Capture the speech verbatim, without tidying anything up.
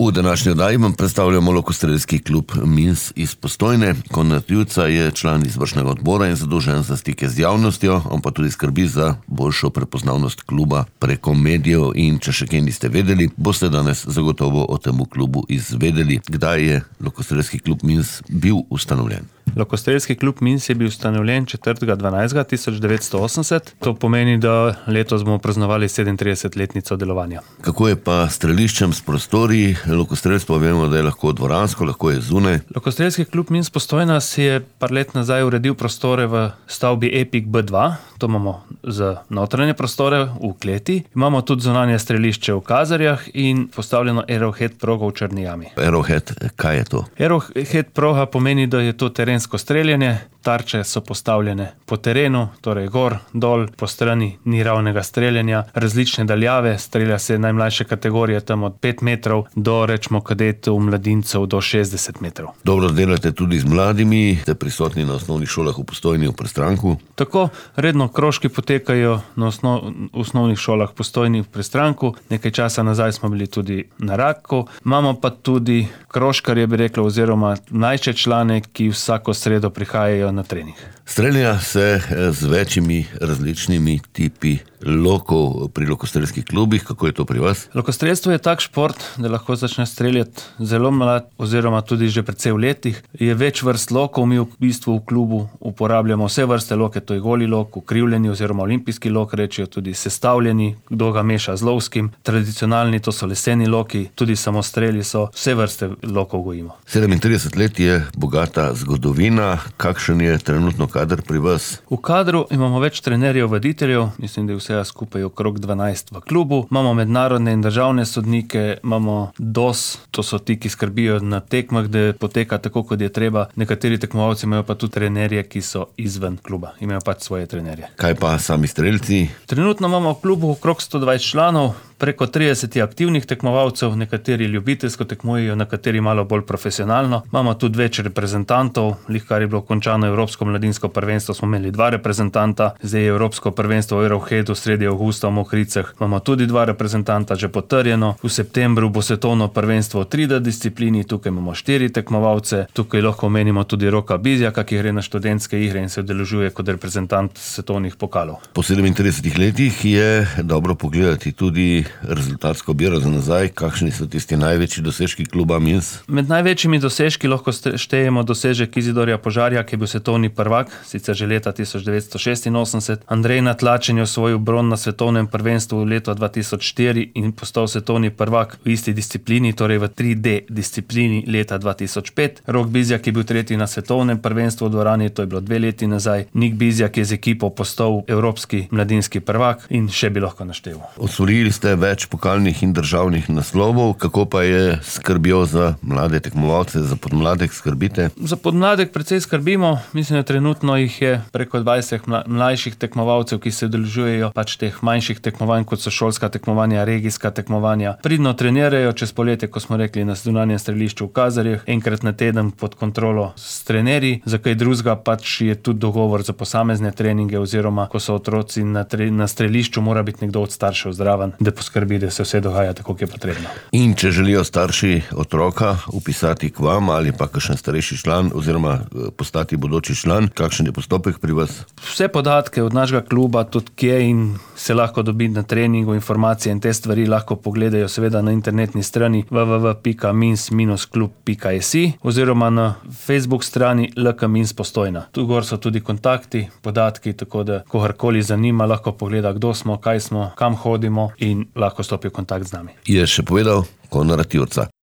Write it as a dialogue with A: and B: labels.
A: V današnji oddaji vam predstavljamo Lokostrelski klub Mins iz Postojne. Konrad Jurca je član izvršnega odbora in zadolžen za stike z javnostjo, on pa tudi skrbi za boljšo prepoznavnost kluba preko medijev. In če še kaj niste vedeli, boste danes zagotovo o tem klubu izvedeli. Kdaj je Lokostrelski klub Mins bil ustanovljen?
B: Lokostrelski klub Mins je bil ustanovljen četrtega dvanajstega tisoč devetsto osemdeset. To pomeni, da letos bomo praznovali sedemintridesetletnico delovanja.
A: Kako je pa s streliščem, s prostori? Lokostrelstvo vemo, da je lahko dvoransko, lahko je zunaj.
B: Lokostrelski klub Mins Postojna si je par let nazaj uredil prostore v stavbi Epik B dva. To imamo za notranje prostore v kleti. Imamo tudi zunanje strelišče v Kazarjah in postavljeno Arrowhead progo v Črni jami.
A: Arrowhead, kaj je to?
B: Arrowhead proga pomeni, da je to terensko streljanje. Tarče so postavljene po terenu, torej gor, dol, po strani, ni ravnega streljanja, različne daljave, strelja se najmlajše kategorije tam od pet metrov do, rečemo, kadetov, mladincev do šestdeset metrov.
A: Dobro delate tudi z mladimi, ste prisotni na osnovnih šolah v Postojni, v Prestranku.
B: Tako, redno krožki potekajo na osnov, osnovnih šolah v Postojni, v Prestranku, nekaj časa nazaj smo bili tudi na Raku, imamo pa tudi krožkarje, bi rekla, oziroma mlajše člane, ki vsako sredo prihajajo na trening.
A: Strelja se z večjimi različnimi tipi lokov pri lokostrelskih klubih. Kako je to pri vas?
B: Lokostrelstvo je tak šport, da lahko začne streljati zelo mlad oziroma tudi že precej v letih. Je več vrst lokov, mi v bistvu v klubu uporabljamo vse vrste loke, to je goli lok, ukrivljeni oziroma olimpijski lok, rečijo tudi sestavljeni, kdo ga meša z lovskim, tradicionalni, to so leseni loki, tudi samostreli so, vse vrste lokov gojimo.
A: sedemintrideset let je bogata zgodovina. Kakšen je trenutno kader pri vas?
B: V kadru imamo več trenerjev, voditeljev, mislim, da je vsega skupaj okrog dvanajst v klubu. Imamo mednarodne in državne sodnike, imamo D O S, to so ti, ki skrbijo na tekmah, da poteka tako, kot je treba. Nekateri tekmovalci imajo pa tudi trenerje, ki so izven kluba, imajo pač svoje trenerje.
A: Kaj pa sami strelci?
B: Trenutno imamo v klubu okrog sto dvajset članov, preko trideset aktivnih tekmovalcev, nekateri ljubiteljsko tekmujejo, nekateri malo bolj profesionalno. Imamo tudi več reprezentantov, lihkar je bilo končano Evropsko mladinsko prvenstvo, smo imeli dva reprezentanta, zdaj je Evropsko prvenstvo v Arrowheadu sredi avgusta v Mokricah, imamo tudi dva reprezentanta že potrjeno. V septembru bo svetovno prvenstvo v tri D disciplini, tukaj imamo štiri tekmovalce, tukaj lahko omenimo tudi Roka Bizjaka, ki gre na študentske igre in se udeležuje kot reprezentant svetovnih pokalov.
A: Po sedemintridesetih letih je dobro pogledati tudi rezultatsko biro za nazaj. Kakšni so tisti največji dosežki kluba Mins?
B: Med največjimi dosežki lahko štejemo dosežek Izidorja Požarja, ki je bil svetovni prvak, sicer že leta tisoč devetsto šestinosemdeset. Andrej Natlačen je osvojil bron na svetovnem prvenstvu v letu dva tisoč štiri in postal svetovni prvak v isti disciplini, torej v tri D disciplini leta dva tisoč pet. Rok Bizjak je bil tretji na svetovnem prvenstvu v dvorani, to je bilo dve leti nazaj. Nik Bizjak je z ekipo postal evropski mladinski prvak in še bi lahko našteval.
A: Osvojili ste več pokalnih in državnih naslovov. Kako pa je skrbjo za mlade tekmovalce, za podmladek skrbite?
B: Za podmladek precej skrbimo. Mislim, da trenutno jih je preko dvajset mlajših tekmovalcev, ki se udeležujejo pač teh manjših tekmovanj, kot so šolska tekmovanja, regijska tekmovanja. Pridno trenirajo čez poletje, ko smo rekli, na zunanjem strelišču v Kazarjih, enkrat na teden pod kontrolo s trenerji. Za kaj drugega pač je tudi dogovor za posamezne treninge, oziroma ko so otroci na, tre, na strelišču, mora biti nekdo od staršev zraven, da poskrbi, da se vse dogaja tako, kot je potrebno.
A: In če želijo starši otroka upisati k vam ali pa kakšen starejši član oziroma postati bodoči član, kakšen je postopek pri vas?
B: Vse podatke od našega kluba, tudi kje in se lahko dobi na treningu, informacije in te stvari lahko pogledajo seveda na internetni strani w w w pika mins klub pika s i oziroma na Facebook strani L K Mins Postojna. Tu gor so tudi kontakti, podatki, tako da kogarkoli zanima, lahko pogleda, kdo smo, kaj smo, kam hodimo in lahko stopi v kontakt z nami.
A: Je še povedal Konrad Jurca.